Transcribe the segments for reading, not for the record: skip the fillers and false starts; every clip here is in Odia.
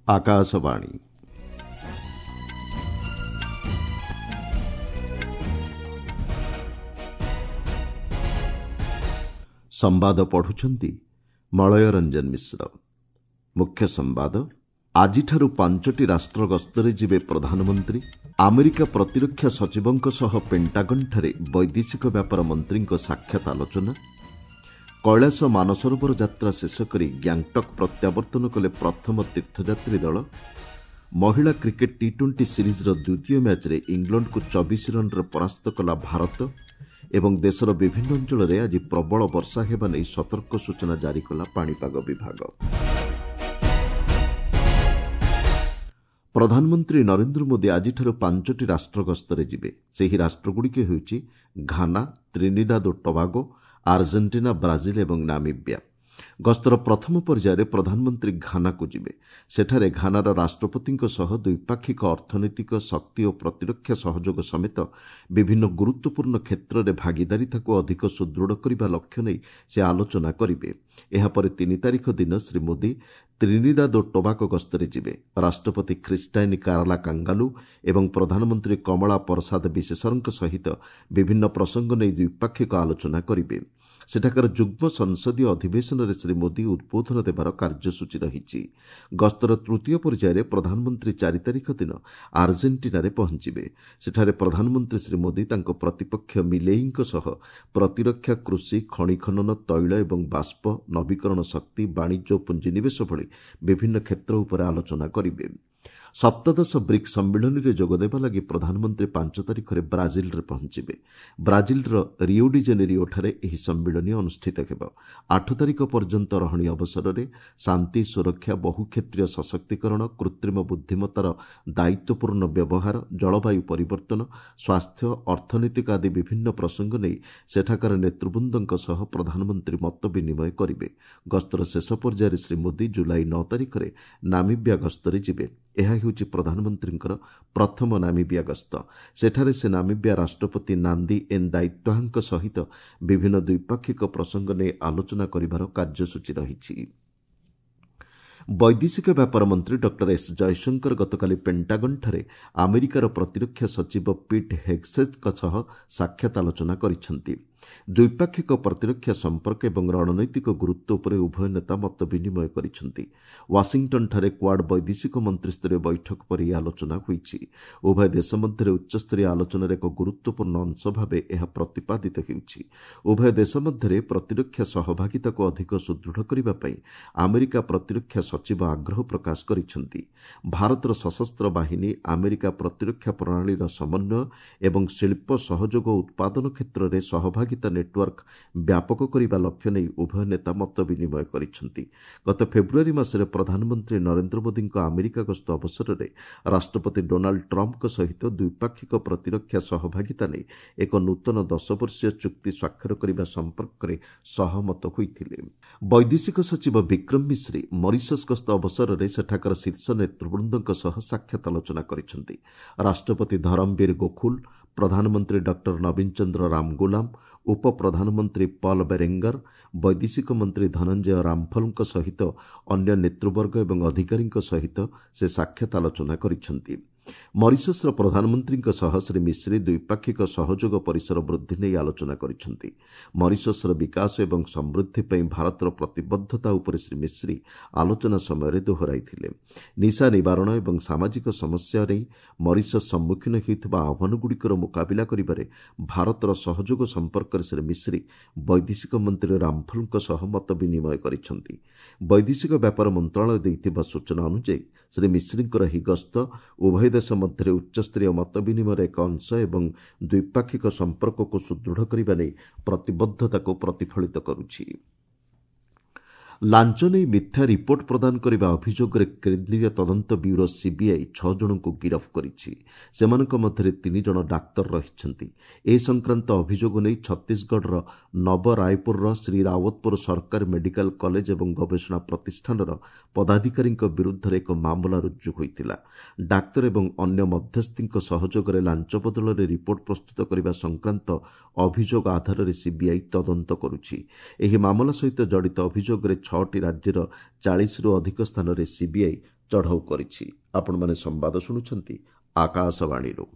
ଆକାଶବାଣୀ। ସମ୍ବାଦ ପଢୁଛନ୍ତି ମଳୟ ରଞ୍ଜନ ମିଶ୍ର। ମୁଖ୍ୟ ସମ୍ବାଦ, ଆଜିଠାରୁ 5ଟି ରାଷ୍ଟ୍ର ଗସ୍ତରେ ଯିବେ ପ୍ରଧାନମନ୍ତ୍ରୀ। ଆମେରିକା ପ୍ରତିରକ୍ଷା ସଚିବଙ୍କ ସହ ପେଣ୍ଟାଗନ୍ଠାରେ ବୈଦେଶିକ ବ୍ୟାପାର ମନ୍ତ୍ରୀଙ୍କ ସାକ୍ଷାତ ଆଲୋଚନା। କୈଳାସ ମାନସରୋବର ଯାତ୍ରା ଶେଷ କରି ଗ୍ୟାଙ୍ଗଟକ୍ ପ୍ରତ୍ୟାବର୍ତ୍ତନ କଲେ ପ୍ରଥମ ତୀର୍ଥଯାତ୍ରୀ ଦଳ। ମହିଳା କ୍ରିକେଟ୍ ଟି 20 ସିରିଜ୍ର ଦ୍ୱିତୀୟ ମ୍ୟାଚ୍ରେ ଇଂଲଣ୍ଡକୁ 24 ରନ୍ରେ ପରାସ୍ତ କଲା ଭାରତ। ଏବଂ ଦେଶର ବିଭିନ୍ନ ଅଞ୍ଚଳରେ ଆଜି ପ୍ରବଳ ବର୍ଷା ହେବା ନେଇ ସତର୍କ ସୂଚନା ଜାରି କଲା ପାଣିପାଗ ବିଭାଗ। ପ୍ରଧାନମନ୍ତ୍ରୀ ନରେନ୍ଦ୍ର ମୋଦି ଆଜିଠାରୁ 5ଟି ରାଷ୍ଟ୍ର ଗସ୍ତରେ ଯିବେ। ସେହି ରାଷ୍ଟ୍ରଗୁଡ଼ିକ ହେଉଛି ଘାନା, ତ୍ରିନିଦାଦ ଓ ଟବାଗୋ, ଆର୍ଜେଣ୍ଟିନା, ବ୍ରାଜିଲ୍ ଏବଂ ନାମିବିଆ। ଗସ୍ତର ପ୍ରଥମ ପର୍ଯ୍ୟାୟରେ ପ୍ରଧାନମନ୍ତ୍ରୀ ଘାନାକୁ ଯିବେ। ସେଠାରେ ଘାନାର ରାଷ୍ଟ୍ରପତିଙ୍କ ସହ ଦ୍ୱିପାକ୍ଷିକ ଅର୍ଥନୈତିକ, ଶକ୍ତି ଓ ପ୍ରତିରକ୍ଷା ସହଯୋଗ ସମେତ ବିଭିନ୍ନ ଗୁରୁତ୍ୱପୂର୍ଣ୍ଣ କ୍ଷେତ୍ରରେ ଭାଗିଦାରିତାକୁ ଅଧିକ ସୁଦୃଢ଼ କରିବା ଲକ୍ଷ୍ୟ ନେଇ ସେ ଆଲୋଚନା କରିବେ। ଏହାପରେ 3 ତାରିଖ ଦିନ ଶ୍ରୀ ମୋଦି ତ୍ରିନିଦାଦ ଓ ଟୋବାକୋ ଗସ୍ତରେ ଯିବେ। ରାଷ୍ଟ୍ରପତି ଖ୍ରୀଷ୍ଟାଇନ୍ କାରଲା କାଙ୍ଗାଲୁ ଏବଂ ପ୍ରଧାନମନ୍ତ୍ରୀ କମଳା ପରସାଦ ବିଶେଷରଙ୍କ ସହିତ ବିଭିନ୍ନ ପ୍ରସଙ୍ଗ ନେଇ ଦ୍ୱିପାକ୍ଷିକ ଆଲୋଚନା କରିବେ। ସେଠାକାର ଯୁଗ୍ମ ସଂସଦୀୟ ଅଧିବେଶନରେ ଶ୍ରୀ ମୋଦି ଉଦ୍ବୋଧନ ଦେବାର କାର୍ଯ୍ୟସୂଚୀ ରହିଛି। ଗସ୍ତର ତୃତୀୟ ପର୍ଯ୍ୟାୟରେ ପ୍ରଧାନମନ୍ତ୍ରୀ 4 ତାରିଖ ଦିନ ଆର୍ଜେଣ୍ଟିନାରେ ପହଞ୍ଚିବେ। ସେଠାରେ ପ୍ରଧାନମନ୍ତ୍ରୀ ଶ୍ରୀ ମୋଦି ତାଙ୍କ ପ୍ରତିପକ୍ଷ ମିଲେଇଙ୍କ ସହ ପ୍ରତିରକ୍ଷା, କୃଷି, ଖଣି ଖନନ, ତୈଳ ଏବଂ ବାଷ୍ପ, ନବୀକରଣ ଶକ୍ତି, ବାଣିଜ୍ୟ ଓ ପୁଞ୍ଜିନିବେଶ ଭଳି ବିଭିନ୍ନ କ୍ଷେତ୍ର ଉପରେ ଆଲୋଚନା କରିବେ। ସପ୍ତଦଶ ବ୍ରିକ୍ସ ସମ୍ମିଳନୀରେ ଯୋଗଦେବା ଲାଗି ପ୍ରଧାନମନ୍ତ୍ରୀ 5 ତାରିଖରେ ବ୍ରାଜିଲରେ ପହଞ୍ଚିବେ। ବ୍ରାଜିଲର ରିଓଡିଜେନେରିଓଠାରେ ଏହି ସମ୍ମିଳନୀ ଅନୁଷ୍ଠିତ ହେବ। 8 ତାରିଖ ପର୍ଯ୍ୟନ୍ତ ରହଣି ଅବସରରେ ଶାନ୍ତି, ସୁରକ୍ଷା, ବହୁକ୍ଷେତ୍ରୀୟ ସଶକ୍ତିକରଣ, କୃତ୍ରିମ ବୁଦ୍ଧିମତ୍ତାର ଦାୟିତ୍ୱପୂର୍ଣ୍ଣ ବ୍ୟବହାର, ଜଳବାୟୁ ପରିବର୍ତ୍ତନ, ସ୍ୱାସ୍ଥ୍ୟ, ଅର୍ଥନୈତିକ ଆଦି ବିଭିନ୍ନ ପ୍ରସଙ୍ଗ ନେଇ ସେଠାକାର ନେତୃବୃନ୍ଦଙ୍କ ସହ ପ୍ରଧାନମନ୍ତ୍ରୀ ମତ ବିନିମୟ କରିବେ। ଗସ୍ତର ଶେଷ ପର୍ଯ୍ୟାୟରେ ଶ୍ରୀ ମୋଦି ଜୁଲାଇ 9 ତାରିଖରେ ନାମିବିଆ ଗସ୍ତରେ ଯିବେ। ଏହା ହେଉଛି ପ୍ରଧାନମନ୍ତ୍ରୀଙ୍କର ପ୍ରଥମ ନାମିବିଆ ଗସ୍ତ। ସେଠାରେ ସେ ନାମିବିଆ ରାଷ୍ଟ୍ରପତି ନାନ୍ଦି ଏନ୍ ଦାୟିତ୍ୱାହାଙ୍କ ସହିତ ବିଭିନ୍ନ ଦ୍ୱିପାକ୍ଷିକ ପ୍ରସଙ୍ଗ ନେଇ ଆଲୋଚନା କରିବାର କାର୍ଯ୍ୟସୂଚୀ ରହିଛି। ବୈଦେଶିକ ବ୍ୟାପାର ମନ୍ତ୍ରୀ ଡକ୍ଟର ଏସ୍ ଜୟଶଙ୍କର ଗତକାଲି ପେଣ୍ଟାଗନ୍ଠାରେ ଆମେରିକାର ପ୍ରତିରକ୍ଷା ସଚିବ ପିଟ୍ ହେଗ୍ସେଥ୍ଙ୍କ ସହ ସାକ୍ଷାତ ଆଲୋଚନା କରିଛନ୍ତି। ଦ୍ୱିପାକ୍ଷିକ ପ୍ରତିରକ୍ଷା ସମ୍ପର୍କ ଏବଂ ରଣନୈତିକ ଗୁରୁତ୍ୱ ଉପରେ ଉଭୟ ନେତା ମତ ବିନିମୟ କରିଛନ୍ତି। ୱାଶିଂଟନ୍ଠାରେ କ୍ୱାଡ୍ ବୈଦେଶିକ ମନ୍ତ୍ରୀସ୍ତରୀୟ ବୈଠକ ପରେ ଏହି ଆଲୋଚନା ହୋଇଛି। ଉଭୟ ଦେଶ ମଧ୍ୟରେ ଉଚ୍ଚସ୍ତରୀୟ ଆଲୋଚନାର ଏକ ଗୁରୁତ୍ୱପୂର୍ଣ୍ଣ ଅଂଶ ଭାବେ ଏହା ପ୍ରତିପାଦିତ ହେଉଛି। ଉଭୟ ଦେଶ ମଧ୍ୟରେ ପ୍ରତିରକ୍ଷା ସହଭାଗିତାକୁ ଅଧିକ ସୁଦୃଢ଼ କରିବା ପାଇଁ ଆମେରିକା ପ୍ରତିରକ୍ଷା ସଚିବ ଆଗ୍ରହ ପ୍ରକାଶ କରିଛନ୍ତି। ଭାରତର ସଶସ୍ତ୍ର ବାହିନୀ, ଆମେରିକା ପ୍ରତିରକ୍ଷା ପ୍ରଣାଳୀର ସମନ୍ୱୟ ଏବଂ ଶିଳ୍ପ ସହଯୋଗ ଉତ୍ପାଦନ କ୍ଷେତ୍ରରେ ସହଭାଗିତା ନେଟୱାର୍କ ବ୍ୟାପକ କରିବା ଲକ୍ଷ୍ୟ ନେଇ ଉଭୟ ନେତା ମତ ବିନିମୟ କରିଛନ୍ତି। ଗତ ଫେବୃଆରୀ ମାସରେ ପ୍ରଧାନମନ୍ତ୍ରୀ ନରେନ୍ଦ୍ର ମୋଦିଙ୍କ ଆମେରିକା ଗସ୍ତ ଅବସରରେ ରାଷ୍ଟ୍ରପତି ଡୋନାଲ୍ଡ ଟ୍ରମ୍ପଙ୍କ ସହିତ ଦ୍ୱିପାକ୍ଷିକ ପ୍ରତିରକ୍ଷା ସହଭାଗିତା ନେଇ ଏକ ନୂତନ 10 ବର୍ଷୀୟ ଚୁକ୍ତି ସ୍ୱାକ୍ଷର କରିବା ସମ୍ପର୍କରେ ସହମତ ହୋଇଥିଲେ। ବୈଦେଶିକ ସଚିବ ବିକ୍ରମ ମିଶ୍ରି ମରିସସ୍ ଗସ୍ତ ଅବସରରେ ସେଠାକାର ଶୀର୍ଷ ନେତୃବୃନ୍ଦଙ୍କ ସହ ସାକ୍ଷାତ ଆଲୋଚନା କରିଛନ୍ତି। ରାଷ୍ଟ୍ରପତି ଧରମବୀର ଗୋଖୁଲ, ପ୍ରଧାନମନ୍ତ୍ରୀ ଡକ୍ଟର ନବୀନ ଚନ୍ଦ୍ର ରାମଗୁଲାମ, ଉପପ୍ରଧାନମନ୍ତ୍ରୀ ପଲ୍ ବେରେଙ୍ଗର, ବୈଦେଶିକ ମନ୍ତ୍ରୀ ଧନଞ୍ଜୟ ରାମଫଲଙ୍କ ସହିତ ଅନ୍ୟ ନେତୃବର୍ଗ ଏବଂ ଅଧିକାରୀଙ୍କ ସହିତ ସେ ସାକ୍ଷାତ ଆଲୋଚନା କରିଛନ୍ତି। ମରିସସ୍ର ପ୍ରଧାନମନ୍ତ୍ରୀଙ୍କ ସହ ଶ୍ରୀ ମିଶ୍ରି ଦ୍ୱିପାକ୍ଷିକ ସହଯୋଗ ପରିସର ବୃଦ୍ଧି ନେଇ ଆଲୋଚନା କରିଛନ୍ତି। ମରିସସ୍ର ବିକାଶ ଏବଂ ସମୃଦ୍ଧି ପାଇଁ ଭାରତର ପ୍ରତିବଦ୍ଧତା ଉପରେ ଶ୍ରୀ ମିଶ୍ରି ଆଲୋଚନା ସମୟରେ ଦୋହରାଇଥିଲେ। ନିଶା ନିବାରଣ ଏବଂ ସାମାଜିକ ସମସ୍ୟା ନେଇ ମରିସସ୍ ସମ୍ମୁଖୀନ ହେଉଥିବା ଆହ୍ୱାନଗୁଡ଼ିକର ମୁକାବିଲା କରିବାରେ ଭାରତର ସହଯୋଗ ସମ୍ପର୍କରେ ଶ୍ରୀ ମିଶ୍ରି ବୈଦେଶିକ ମନ୍ତ୍ରୀ ରାମଫଲଙ୍କ ସହ ମତ ବିନିମୟ କରିଛନ୍ତି। ବୈଦେଶିକ ବ୍ୟାପାର ମନ୍ତ୍ରଣାଳୟ ଦେଇଥିବା ସୂଚନା ଅନୁଯାୟୀ ଶ୍ରୀ ମିଶ୍ରିଙ୍କର ଏହି ଗସ୍ତ ଉଭୟ ଦେଶ ମଧ୍ୟରେ ଉଚ୍ଚସ୍ତରୀୟ ମତ ବିନିମୟର ଏକ ଅଂଶ ଏବଂ ଦ୍ୱିପାକ୍ଷିକ ସମ୍ପର୍କକୁ ସୁଦୃଢ଼ କରିବା ନେଇ ପ୍ରତିବଦ୍ଧତାକୁ ପ୍ରତିଫଳିତ କରୁଛି। ଲାଞ୍ଚ ନେଇ ମିଥ୍ୟା ରିପୋର୍ଟ ପ୍ରଦାନ କରିବା ଅଭିଯୋଗରେ କେନ୍ଦ୍ରୀୟ ତଦନ୍ତ ବ୍ୟୁରୋ ସିବିଆଇ 6 ଜଣଙ୍କୁ ଗିରଫ କରିଛି। ସେମାନଙ୍କ ମଧ୍ୟରେ 3 ଜଣ ଡାକ୍ତର ରହିଛନ୍ତି। ଏ ସଂକ୍ରାନ୍ତ ଅଭିଯୋଗ ନେଇ ଛତିଶଗଡ଼ର ନବ ରାୟପୁରର ଶ୍ରୀ ରାୱତପୁର ସରକାରୀ ମେଡିକାଲ କଲେଜ ଏବଂ ଗବେଷଣା ପ୍ରତିଷ୍ଠାନର ପଦାଧିକାରୀଙ୍କ ବିରୁଦ୍ଧରେ ଏକ ମାମଲା ରୁଜୁ ହୋଇଥିଲା। ଡାକ୍ତର ଏବଂ ଅନ୍ୟ ମଧ୍ୟସ୍ଥିଙ୍କ ସହଯୋଗରେ ଲାଞ୍ଚ ବଦଳରେ ରିପୋର୍ଟ ପ୍ରସ୍ତୁତ କରିବା ସଂକ୍ରାନ୍ତ ଅଭିଯୋଗ ଆଧାରରେ ସିବିଆଇ ତଦନ୍ତ କରୁଛି। ଏହି ମାମଲା ସହିତ ଜଡ଼ିତ ଅଭିଯୋଗରେ 6ଟି ରାଜ୍ୟର 40ରୁ ଅଧିକ ସ୍ଥାନରେ ସିବିଆଇ ଚଢ଼ଉ କରିଛି। ଆପଣମାନେ ସମ୍ବାଦ ଶୁଣୁଛନ୍ତି ଆକାଶବାଣୀରୁ।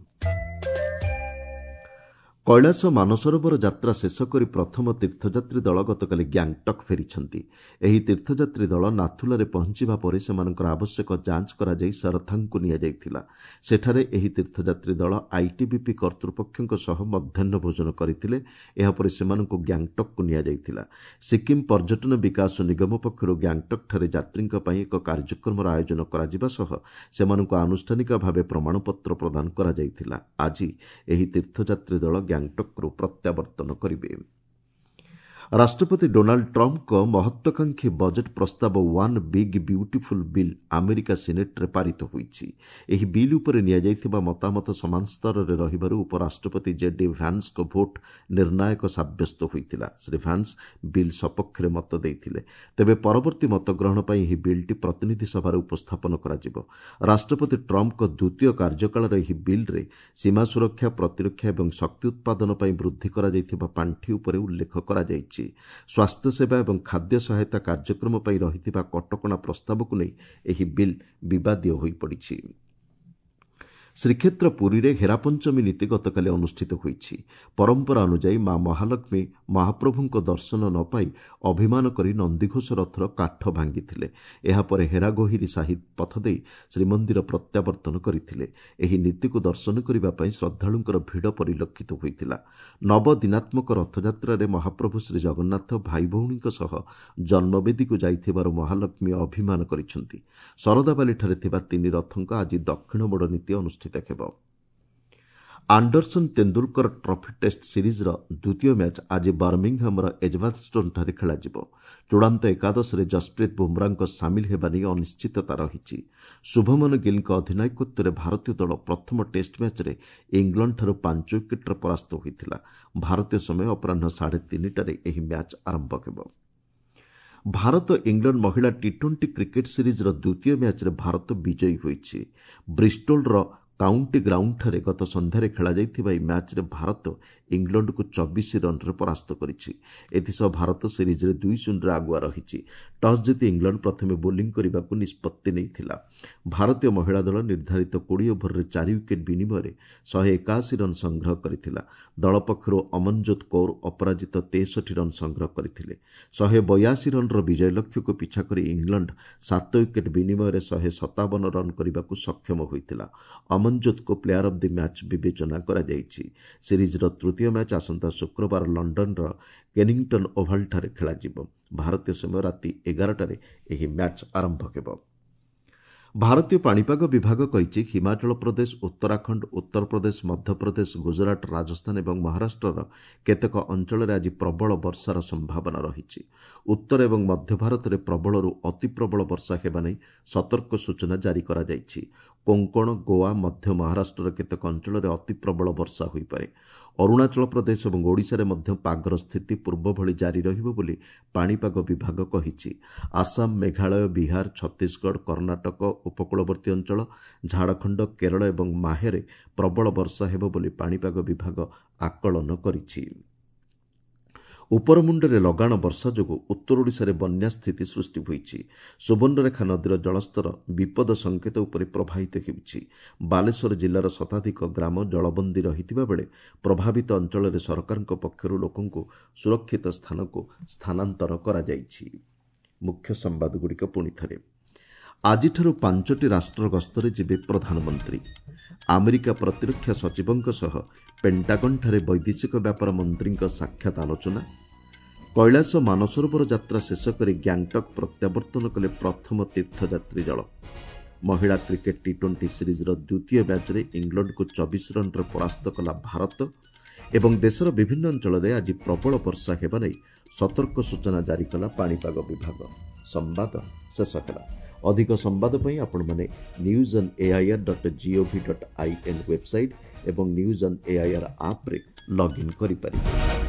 କୈଳାସ ମାନସରୋବର ଯାତ୍ରା ଶେଷ କରି ପ୍ରଥମ ତୀର୍ଥଯାତ୍ରୀ ଦଳ ଗତକାଲି ଗ୍ୟାଙ୍ଗଟକ୍ ଫେରିଛନ୍ତି। ଏହି ତୀର୍ଥଯାତ୍ରୀ ଦଳ ନାଥୁଲାରେ ପହଞ୍ଚିବା ପରେ ସେମାନଙ୍କର ଆବଶ୍ୟକ ଯାଞ୍ଚ କରାଯାଇ ସରଥାଙ୍ଗକୁ ନିଆଯାଇଥିଲା। ସେଠାରେ ଏହି ତୀର୍ଥଯାତ୍ରୀ ଦଳ ଆଇଟିବିପି କର୍ତ୍ତୃପକ୍ଷଙ୍କ ସହ ମଧ୍ୟାହ୍ନ ଭୋଜନ କରିଥିଲେ। ଏହାପରେ ସେମାନଙ୍କୁ ଗ୍ୟାଙ୍ଗଟକ୍କୁ ନିଆଯାଇଥିଲା। ସିକ୍କିମ୍ ପର୍ଯ୍ୟଟନ ବିକାଶ ନିଗମ ପକ୍ଷରୁ ଗ୍ୟାଙ୍ଗଟକ୍ଠାରେ ଯାତ୍ରୀଙ୍କ ପାଇଁ ଏକ କାର୍ଯ୍ୟକ୍ରମର ଆୟୋଜନ କରାଯିବା ସହ ସେମାନଙ୍କୁ ଆନୁଷ୍ଠାନିକ ଭାବେ ପ୍ରମାଣପତ୍ର ପ୍ରଦାନ କରାଯାଇଥିଲା। ଆଜି ଏହି ତୀର୍ଥଯାତ୍ରୀ ଦଳ ଗ୍ୟାଙ୍ଗଟକ୍ରୁ ପ୍ରତ୍ୟାବର୍ତ୍ତନ କରିବେ। ରାଷ୍ଟ୍ରପତି ଡୋନାଲ୍ଡ ଟ୍ରମ୍ପଙ୍କ ମହତ୍ୱାକାଂକ୍ଷୀ ବଜେଟ୍ ପ୍ରସ୍ତାବ one big beautiful bill America ସିନେଟ୍ରେ ପାରିତ ହୋଇଛି। ଏହି ବିଲ୍ ଉପରେ ନିଆଯାଇଥିବା ମତାମତ ସମାନ ସ୍ତରରେ ରହିବାରୁ ଉପରାଷ୍ଟ୍ରପତି ଜେ ଡି ଭ୍ୟାନ୍ସଙ୍କ ଭୋଟ୍ ନିର୍ଣ୍ଣାୟକ ସାବ୍ୟସ୍ତ ହୋଇଥିଲା। ଶ୍ରୀ ଭ୍ୟାନ୍ସ ବିଲ୍ ସପକ୍ଷରେ ମତ ଦେଇଥିଲେ। ତେବେ ପରବର୍ତ୍ତୀ ମତଗ୍ରହଣ ପାଇଁ ଏହି ବିଲ୍ଟି ପ୍ରତିନିଧି ସଭାରେ ଉପସ୍ଥାପନ କରାଯିବ। ରାଷ୍ଟ୍ରପତି ଟ୍ରମ୍ପଙ୍କ ଦ୍ୱିତୀୟ କାର୍ଯ୍ୟକାଳର ଏହି ବିଲ୍ରେ ସୀମା ସୁରକ୍ଷା, ପ୍ରତିରକ୍ଷା ଏବଂ ଶକ୍ତି ଉତ୍ପାଦନ ପାଇଁ ବୃଦ୍ଧି କରାଯାଇଥିବା ପାଣ୍ଠି ଉପରେ ଉଲ୍ଲେଖ କରାଯାଇଛି। ସ୍ୱାସ୍ଥ୍ୟସେବା ଏବଂ ଖାଦ୍ୟ ସହାୟତା କାର୍ଯ୍ୟକ୍ରମ ପାଇଁ ରହିଥିବା କଟକଣା ପ୍ରସ୍ତାବକୁ ନେଇ ଏହି ବିଲ୍ ବିବାଦୀୟ ହୋଇପଡ଼ିଛି। ଶ୍ରୀକ୍ଷେତ୍ର ପୁରୀରେ ହେରାପଞ୍ଚମୀ ନୀତି ଗତକାଲି ଅନୁଷ୍ଠିତ ହୋଇଛି। ପରମ୍ପରା ଅନୁଯାୟୀ ମା ମହାଲକ୍ଷ୍ମୀ ମହାପ୍ରଭୁଙ୍କ ଦର୍ଶନ ନ ପାଇ ଅଭିମାନ କରି ନନ୍ଦିଘୋଷ ରଥର କାଠ ଭାଙ୍ଗିଥିଲେ। ଏହାପରେ ହେରାଗୋହିରୀ ସାହି ପଥ ଦେଇ ଶ୍ରୀମନ୍ଦିର ପ୍ରତ୍ୟାବର୍ତ୍ତନ କରିଥିଲେ। ଏହି ନୀତିକୁ ଦର୍ଶନ କରିବା ପାଇଁ ଶ୍ରଦ୍ଧାଳୁଙ୍କର ଭିଡ଼ ପରିଲକ୍ଷିତ ହୋଇଥିଲା। ନବଦିନାତ୍ମକ ରଥଯାତ୍ରାରେ ମହାପ୍ରଭୁ ଶ୍ରୀଜଗନ୍ନାଥ ଭାଇ ଭଉଣୀଙ୍କ ସହ ଜନ୍ମବେଦୀକୁ ଯାଇଥିବାରୁ ମହାଲକ୍ଷ୍ମୀ ଅଭିମାନ କରିଛନ୍ତି। ଶରଧାବାଲିଠାରେ ଥିବା ତିନି ରଥଙ୍କ ଆଜି ଦକ୍ଷିଣ ମୋଡ଼ ନୀତି ଅନୁଷ୍ଠିତ ହେବ। ଆଣ୍ଡରସନ୍ ତେନ୍ଦୁଲକର ଟ୍ରଫି ଟେଷ୍ଟ ସିରିଜ୍ର ଦ୍ୱିତୀୟ ମ୍ୟାଚ୍ ଆଜି ବର୍ମିଂହାମର ଏଜବାଷ୍ଟନ୍ଠାରେ ଖେଳାଯିବ। ଚୂଡ଼ାନ୍ତ ଏକାଦଶରେ ଜସପ୍ରୀତ ବୁମ୍ରାଙ୍କ ସାମିଲ ହେବା ନେଇ ଅନିଶ୍ଚିତତା ରହିଛି। ଶୁଭମନ ଗିଲ୍ଙ୍କ ଅଧିନାୟକତ୍ୱରେ ଭାରତୀୟ ଦଳ ପ୍ରଥମ ଟେଷ୍ଟ ମ୍ୟାଚ୍ରେ ଇଂଲଣ୍ଡଠାରୁ 5 ୱିକେଟ୍ରେ ପରାସ୍ତ ହୋଇଥିଲା। ଭାରତୀୟ ସମୟ ଅପରାହ୍ନ 3:30ଟାରେ ଏହି ମ୍ୟାଚ୍ ଆରମ୍ଭ ହେବ। ଭାରତ ଇଂଲଣ୍ଡ ମହିଳା ଟି-20 କ୍ରିକେଟ୍ ସିରିଜ୍ର ଦ୍ୱିତୀୟ ମ୍ୟାଚ୍ରେ ଭାରତ ବିଜୟୀ ହୋଇଛି। ବ୍ରିଷ୍ଟୋଲର କାଉଣ୍ଟି ଗ୍ରାଉଣ୍ଡଠାରେ ଗତ ସନ୍ଧ୍ୟାରେ ଖେଳାଯାଇଥିବା ଏହି ମ୍ୟାଚ୍ରେ ଭାରତ ଇଂଲଣ୍ଡକୁ 24 ରନ୍ରେ ପରାସ୍ତ କରିଛି। ଏଥିସହ ଭାରତ ସିରିଜ୍ରେ 2-0ରେ ଆଗୁଆ ରହିଛି। ଟସ୍ ଜିତି ଇଂଲଣ୍ଡ ପ୍ରଥମେ ବୋଲିଂ କରିବାକୁ ନିଷ୍ପତ୍ତି ନେଇଥିଲା। ଭାରତୀୟ ମହିଳା ଦଳ ନିର୍ଦ୍ଧାରିତ 20 ଓଭରରେ 4 ୱିକେଟ୍ ବିନିମୟରେ 181 ରନ୍ ସଂଗ୍ରହ କରିଥିଲା। ଦଳ ପକ୍ଷରୁ ଅମନଜୋତ କୌର ଅପରାଜିତ 63 ରନ୍ ସଂଗ୍ରହ କରିଥିଲେ। 182 ରନ୍ର ବିଜୟ ଲକ୍ଷ୍ୟକୁ ପିଛା କରି ଇଂଲଣ୍ଡ 7 ୱିକେଟ୍ ବିନିମୟରେ 157 ରନ୍ କରିବାକୁ ସକ୍ଷମ ହୋଇଥିଲା। ଅମନଜୋତଙ୍କୁ ପ୍ଲେୟାର ଅଫ୍ the match ବିବେଚନା କରାଯାଇଛି। ସିରିଜ୍ର ତୃତୀୟ ମ୍ୟାଚ୍ ଆସନ୍ତା ଶୁକ୍ରବାର ଲଣ୍ଡନର କେନିଂଟନ୍ ଓଭାଲଠାରେ ଖେଳାଯିବ। ଭାରତୀୟ ସମୟ ରାତି 11ଟାରେ ଏହି ମ୍ୟାଚ୍ ଆରମ୍ଭ ହେବ। ଭାରତୀୟ ପାଣିପାଗ ବିଭାଗ କହିଛି, ହିମାଚଳ ପ୍ରଦେଶ, ଉତ୍ତରାଖଣ୍ଡ, ଉତ୍ତରପ୍ରଦେଶ, ମଧ୍ୟପ୍ରଦେଶ, ଗୁଜରାଟ, ରାଜସ୍ଥାନ ଏବଂ ମହାରାଷ୍ଟ୍ରର କେତେକ ଅଞ୍ଚଳରେ ଆଜି ପ୍ରବଳ ବର୍ଷାର ସମ୍ଭାବନା ରହିଛି। ଉତ୍ତର ଏବଂ ମଧ୍ୟ ଭାରତରେ ପ୍ରବଳରୁ ଅତି ପ୍ରବଳ ବର୍ଷା ହେବା ନେଇ ସତର୍କ ସୂଚନା ଜାରି କରାଯାଇଛି। କୋଙ୍କଣ, ଗୋଆ, ମଧ୍ୟ ମହାରାଷ୍ଟ୍ରର କେତେକ ଅଞ୍ଚଳରେ ଅତି ପ୍ରବଳ ବର୍ଷା ହୋଇପାରେ। ଅରୁଣାଚଳ ପ୍ରଦେଶ ଏବଂ ଓଡ଼ିଶାରେ ମଧ୍ୟ ପାଗର ସ୍ଥିତି ପୂର୍ବଭଳି ଜାରି ରହିବ ବୋଲି ପାଣିପାଗ ବିଭାଗ କହିଛି। ଆସାମ, ମେଘାଳୟ, ବିହାର, ଛତିଶଗଡ଼, କର୍ଣ୍ଣାଟକ, ଉପକୂଳବର୍ତ୍ତୀ ଅଞ୍ଚଳ, ଝାଡ଼ଖଣ୍ଡ, କେରଳ ଏବଂ ମାହେରେ ପ୍ରବଳ ବର୍ଷା ହେବ ବୋଲି ପାଣିପାଗ ବିଭାଗ ଆକଳନ କରିଛି। ଉପରମୁଣ୍ଡରେ ଲଗାଣ ବର୍ଷା ଯୋଗୁଁ ଉତ୍ତର ଓଡ଼ିଶାରେ ବନ୍ୟା ସ୍ଥିତି ସୃଷ୍ଟି ହୋଇଛି। ସୁବର୍ଣ୍ଣରେଖା ନଦୀର ଜଳସ୍ତର ବିପଦ ସଂକେତ ଉପରେ ପ୍ରବାହିତ ହେଉଛି। ବାଲେଶ୍ୱର ଜିଲ୍ଲାର ଶତାଧିକ ଗ୍ରାମ ଜଳବନ୍ଦୀ ରହିଥିବା ବେଳେ ପ୍ରଭାବିତ ଅଞ୍ଚଳରେ ସରକାରଙ୍କ ପକ୍ଷରୁ ଲୋକଙ୍କୁ ସୁରକ୍ଷିତ ସ୍ଥାନକୁ ସ୍ଥାନାନ୍ତର କରାଯାଇଛି। ମୁଖ୍ୟ ସମ୍ବାଦଗୁଡ଼ିକ ପୁଣି ଥରେ। ଆଜିଠାରୁ 5ଟି ରାଷ୍ଟ୍ର ଗସ୍ତରେ ଯିବେ ପ୍ରଧାନମନ୍ତ୍ରୀ। ଆମେରିକା ପ୍ରତିରକ୍ଷା ସଚିବଙ୍କ ସହ ପେଣ୍ଟାଗନ୍ଠାରେ ବୈଦେଶିକ ବ୍ୟାପାର ମନ୍ତ୍ରୀଙ୍କ ସାକ୍ଷାତ ଆଲୋଚନା। କୈଳାସ ମାନସରୋବର ଯାତ୍ରା ଶେଷ କରି ଗ୍ୟାଙ୍ଗଟକ୍ ପ୍ରତ୍ୟାବର୍ତ୍ତନ କଲେ ପ୍ରଥମ ତୀର୍ଥଯାତ୍ରୀ ଦଳ। ମହିଳା କ୍ରିକେଟ୍ ଟି-20 ସିରିଜ୍ର ଦ୍ୱିତୀୟ ମ୍ୟାଚ୍ରେ ଇଂଲଣ୍ଡକୁ 24 ରନ୍ରେ ପରାସ୍ତ କଲା ଭାରତ। ଏବଂ ଦେଶର ବିଭିନ୍ନ ଅଞ୍ଚଳରେ ଆଜି ପ୍ରବଳ ବର୍ଷା ହେବା ନେଇ ସତର୍କ ସୂଚନା ଜାରି କଲା ପାଣିପାଗ ବିଭାଗ। ସମ୍ବାଦ ଶେଷ ହେଲା। ଅଧିକ ସମ୍ବାଦ ପାଇଁ ଆପଣମାନେ news on air.gov.in website ଏବଂ ନ୍ୟୁଜ୍ ଅନ୍ ଏଆଇଆର୍ ଆପ୍ରେ ଲଗ୍ଇନ୍ କରିପାରିବେ।